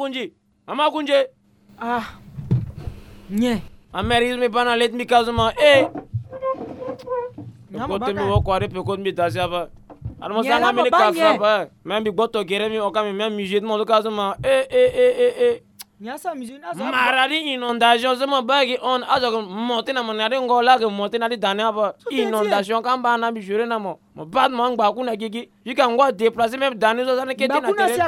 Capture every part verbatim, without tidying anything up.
Kunji. Mama Kunji. Ah. Nye. Ameri mi bana let mi kazo ma. Eh. Kote mi woko are pe kote mi dasi aba. Ano mo sanga mi ni kazo aba. Même bi gboto gere mi oka mi même musée mo kazo ma. Eh, eh, eh, eh, eh. Maradi inondation so mo bagi on azo ko monte na mo na ri ngola ke monte na ri dane aba. Inondation kamba na bi jure na mo. Mo bat mo ngba kuna gigi. Yika ngwa déplacer même dane so sane kete na tere.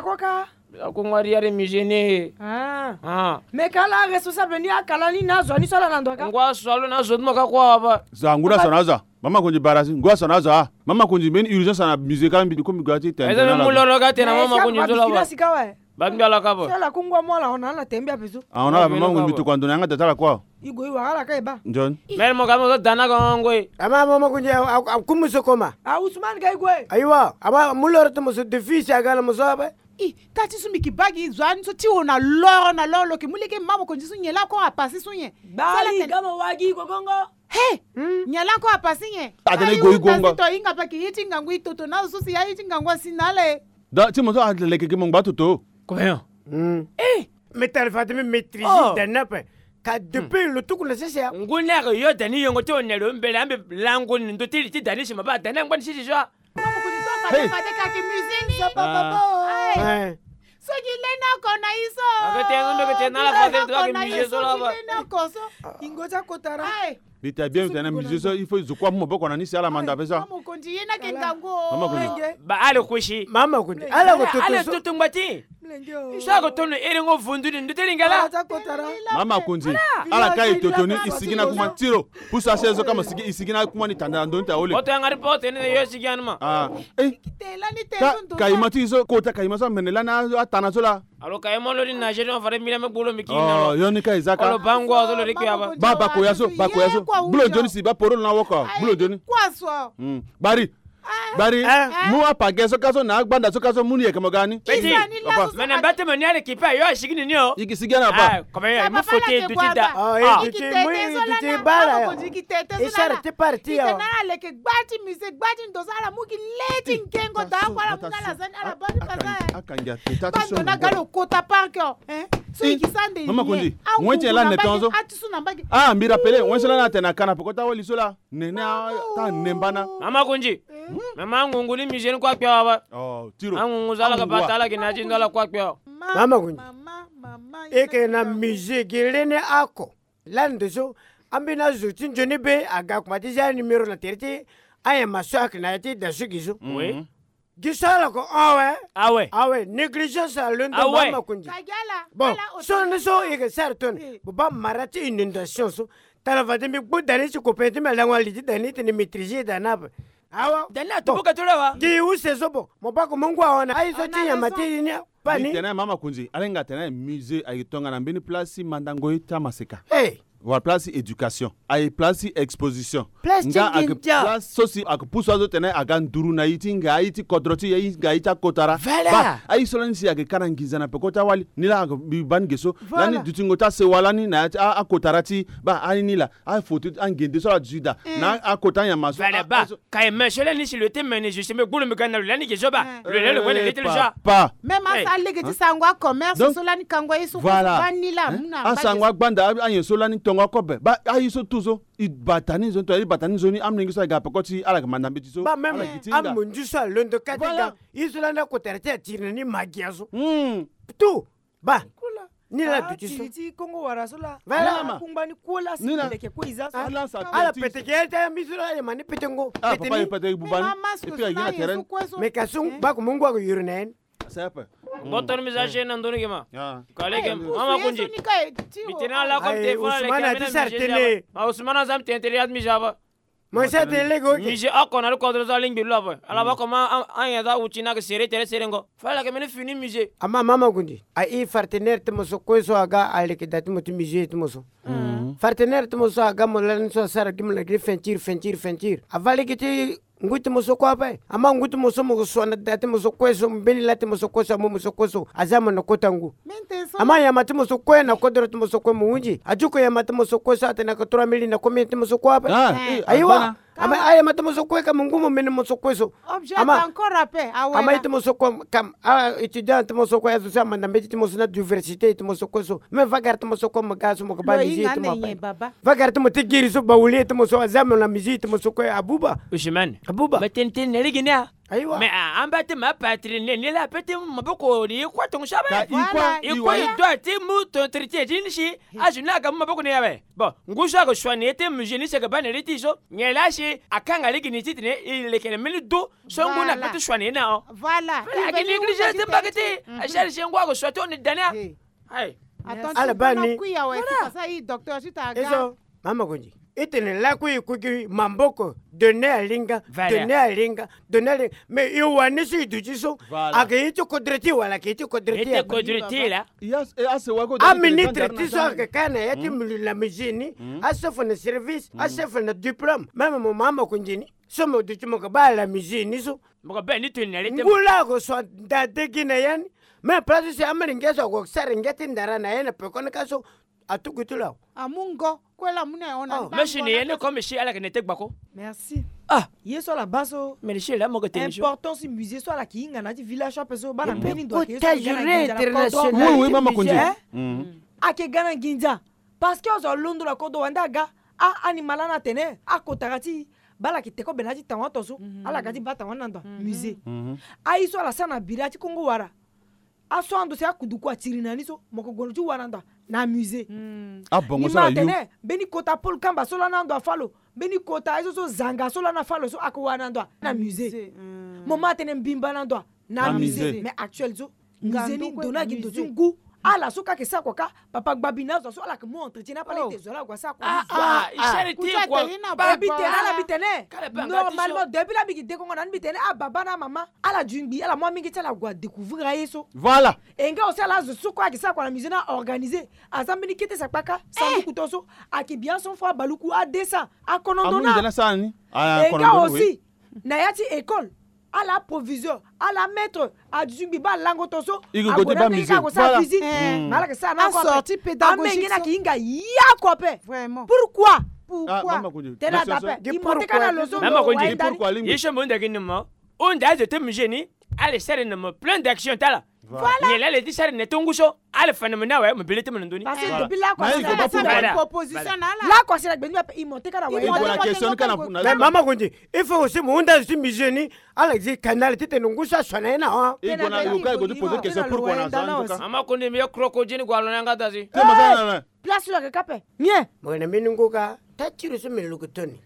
Ako ngwa ri are musée ni. Ah. Ah. Mais kala responsable ni akala ni na zo ni so ala na ndo ka. Ngwa so alo na zo mo ka kwa aba. Za ngura so na za. Mama Kunji barasi. Ngwa so na za. Mama Kunji meni urgence na musée ka mbi ko mbi gati tene. Eza mu loro ka tene Mama Kunji zo la ba. Ba mbi ala ka ba. Sala kungwa mo ala ona ala tembe apeso. Ah, ona la mama mbi to kwando na yanga data la kwa. Igo iwa ala ka eba. John. Mel mo ka mo dana ko ngwe. Ama Mama Kunji a kumu so koma. Ah, Ousmane ka igwe. Aiwa, ama mu loro to mo so defi si aga na mo so aba. I, tati so mbi ki bagi zo ani so ti o na loro na loro lo ki mu leke Mama Kunji so nyen la ko apasi so nyen. Bali gama wagi ko gongo. He! Nyen la ko apasi nyen. Atene go igonga. To inga pa ki yeti ngangu itoto na so si ya yeti ngangu asi na le. Da ti mo so aleke ki mo ngba toto. Combien? Eh! Mais tala fade mi maîtriser dana pe. Ka depuis lo tuku na sese ya. Ngu na ko yo dani yongo ti o ne lo mbele ambe lango ni ndo ti li ti dani si ma ba dani angba ni sisi so. Hey. Soki lena kona iso. Akete no meke tena la fade to ke musée so la ba. Lena koso. Ingo ja kotara. Bita bien tena musée so il faut zo kwa mo boko na ni si ala manda pesa. Mokonzi yena ke ngango. Mama Kunji. Ba ale kushi. Mama Kunji. Ala ko toto. Ale toto ngba ti. Sako tono ere ngo vundu ni nduti lingala. Mama Kunzi, ala ka e totoni i sigi na kuma ti lo. Pusu asiège so kama sigi i sigi na kuma ni tanda ndo nta ole. Oto yanga ri porte ni yo sigi anuma. Ah. Eh. Ka, ka i ma ti so kota ka i ma so mene lani atana so la. Alo ka i ma lo ni na jeri on fare mila me gbolo mi ki na lo. Oh, yo ni ka i zaka. Alo bango so lo ri ki aba. Ba, ba ko ya so, ba ko ya so. Bulo joni si ba poro na woko. Bulo joni. Kwa so. Mm. Bari. Bari, mu apage so ka so na agbanda so ka so mu ni yeke mo gani. Peti. Mene mbate mo ni ale kipe yo asigi ni ni o. Igi sigi ana pa. Kome yo mu fote duti da. Igi tete so la na bala yo. Igi tete so la na. Ite na ala leke gbati mise gbati ndo so ala mu gi leti ngengo da ko ala mu ngala zani ala bani pasa. Akangi ateta ti so. Bando na galo kota park yo. So igi sande. Mama Kundi. Wenti la neton so. Ah, mbi rapele wenti la na tena kana pokota wali so la. Nene a ta nemba na. Mama Kunzi. Mama angungu ni musée ni kue akpe awa ba. Oh, tiro. Angungu so ala ga bata ala gi na ti ndo ala kue akpe awa. Mama Kunzi. E ke na musée gi lene ako. Lani ndo so ambeni azo ti nzoni be aga kuma ti zia numéro na tere ti anyama so ayeke na ya ti da so gi so. Oui. Gi so ala ko awe. Awe. Awe. Négligence alondo. Awe. Mama Kunzi. Bon, so ni so e ke sara toni. Bo ba mara ti inondation so. Tala fade mbi gbu dani ti kopin ti mbi alango ali ti dani tene maîtriser dani ape. Awa. Dani atubu ka ti lo awa. Gi use so bo. Mo bako mo ngu awa na aye so ti nyama ti ni. Bani. Tene Mama Kunzi, ala hinga tene musée aye tongana mbeni place ti mandango ye ti amaseka. Hey. Wala place ti éducation. Aye place ti exposition. Place ti nginza. Place so si ake pusu azo tene aga nduru na ye ti hinga aye ti kodro ti ye, hinga aye ti akotara. Voilà. Ba, aye so lani si ake ka na nginza na peko ti awali. Ni la ake bi bani ge so. Voilà. Lani dutingo ti asewa lani na ya ti a, akotara ti. Ba, aye ni la. Afoto angende so ala duti daa. Na akota nyama so. Voilà, ba. Ka e me so lani si lo te mene juste mbi gbulu mbi ga na lo lani ge so ba. Lo lani lo wene le ti lo so. Pa. Même asa lege ti sango acommerce so lani kango ye so. Voilà. Ba ni la mu na. Asango agbanda aye so lani tongo akobe. Ba aye so tout so. I bata ni nzoni to i bata ni nzoni amolenge so aga peko ti ala ga manda mbeti so. Ba même amonzu so alondo kati ga. Ye so lani akotara ti atiri na ni magia so. Tout. Ba. Ni la duti so. Ti Kongo wara so la. Voilà. Kungba ni kue la si leke kue iza so. Ala pete ke ya ti ambi so la ye ma ni pete ngo. Ah, papa ye pete buba ni. Et puis aye na terrain. Mais ka so ba ko mungu ako yoro na en. C'est pas. Botor mi za je na ndoni ke ma. Kale ke Mama Kunzi. Mi tene ala comme téléphone. Ousmane ati sara tene. Ma Ousmane aza mi tene tene ya mi za ba. Mo sa tene lege oke. Musée oko na lo kodro so alingbi lo ape. Ala ba koma an, an ya za wuti na ke sere tere sere ngo. Fala ke mene fini musée. Ama Mama Kunzi. A i partenaire ti mo so kue so aga aleke da ti mo ti musée ti mo so. Partenaire ti mo so aga mo lani so asara gi mo na gi fentir fentir fentir. Ava lege ti ngu ti mo so kue ape. Ama ngu ti mo so mo ke sua na da ti mo so kue so mbeni la ti mo so kue so amu mo so kue so aza mo na kota ngu. Ama yama ti mo so kue na kodro ti mo so kue mo hunzi. Ajuko yama ti mo so kue so atene ake trois mille na combien ti mo so kue ape. Ayiwa. Ama aye ma ti mo so kue ka mo ngu mo mene mo so kue so. Objet ama encore ape awe ama la. Ite mo so kue kam a étudiant ite mo so kue azo so amanda mbeti ite mo so na diversité ite mo so kue so. Mais vagara ite mo so kue mo ga so mo ka ba musique ite mo ape. Vagara ite mo ti giri so bawuli ite mo so aza mo na musique ite mo so kue abuba. Usman abuba. Mais tene tene na lege ni a. Ayiwa. Mais a amba ti ma patrie ne ni la ape ti maboko ni kue tongo so awe. Voilà. I kue i doit ti mu ton entretien ti ni si. Azo ni aga mu maboko ni awe. Bon, ngu so aga sua na ye ti musicien ni si aga ba na li ti so. Nyen laa si akanga lege ni titene e lekere mbeni du so ngu ni ape ti sua na ye ni ahon. Voilà. Ake négligence ti mbage ti e. Achelle si ngu aga sua ti hon ni da ni a. Ala ba ni. Voilà. E so mama konzi. E tene lakui e kui gi maboko. Done alinga. Done alinga. Done alinga. Mais e wani so e duti so. Ake ye ti kodre ti e wala ake ye ti kodre ti e. Aministre ti so ake ka na ya ti la musique ni. Achef na service. Achef na diplôme. Même mo mama konzi ni so mo duti mo ka ba la musique ni so. Mo ka be ni toni na le te. Ngu laa ako so nda degi na ya ni. Même place so si amolenge so ako sara ngia ti ndara na ya na pekoni ka so. Atugu ti lo awe. Amu ngo kue la amu na ya hon na. Mais si ni ye ni comme si ala yeke na ete gbako. Merci. Ah. Ye so ala baa so. Mais ni si la mo yeke tene so. Important si musée so ala yeke hinga na ya ti village so ape so baa na mbeni ndo ayeke ye so ayeke ga na nginza na kodro. Oui oui mama konzi. Ayeke ga na nginza. Parce que azo alondo na kodro wande aga. Ah, animal lani atene akotaka ti baa ala yeke te kobe na ya ti tawon ato so. Ala ga ti baa tawon ni na ndo musée. Aye so ala sara na bira ti kongo wara. Aso ando si akuduku atiri na ni so mo ko gue na ti wara ndo na musée. Abongo so ala yu. Ni ma atene mbeni kota pole kamba so lani ando afa lo. Mbeni kota aye so so zanga so lani afa lo so ako wara na ndo na musée. Mo ma atene mbimba na ndo na musée. Mais actuel so musée ni ndo ni ayeke ndo ti ngu. Ala so ka ayeke sara kua ka papa gbabi na azo so ala yeke mu entretien na pale ete zo la ague asara kua. Abi tene ala bi tene. Normalement depuis la mbi yeke dekongo na ni mbi tene ababa na amama ala dui ngbi ala mu amenge ti ala ague adécouvrir aye so. Voilà. E nga aussi ala azo so kue ayeke sara kua na musée ni aorganiser aza mbeni kete sakpaka sanduku to so ayeke bi ason fo abaluku adesa akonondo na. E nga aussi na ya ti école ala aproviseur ala amaître aduti ngbi baa lango to so. Ague na amenge ka ague sara visite. Mais ala yeke sara na oko ape amenge ni ayeke hinga ye oko ape. Pourquoi? Tene adape imo teka na lo so. Ye so mo hunda gi ni mo. Hunda azo ti musée ni. Ala sara na mo plein d'action ti ala. Nyen laa ala ye ti sara na ti ngu so. Ala fa na mo ni awe mo bi le ti mo na ndoni. Lakua si na gbe ni ape imo teka na wa. Mais mama konzi il faut aussi mo hunda azo ti musée ni. Ala zi canal titene ngu so asua na ye na hon. Mama konzi mi ye crocodile gua lo na yanga da si. Place lo yeke ka ape. Mie. Mo yeke na mbeni ngu ka. Tatiri so mbi luku toni.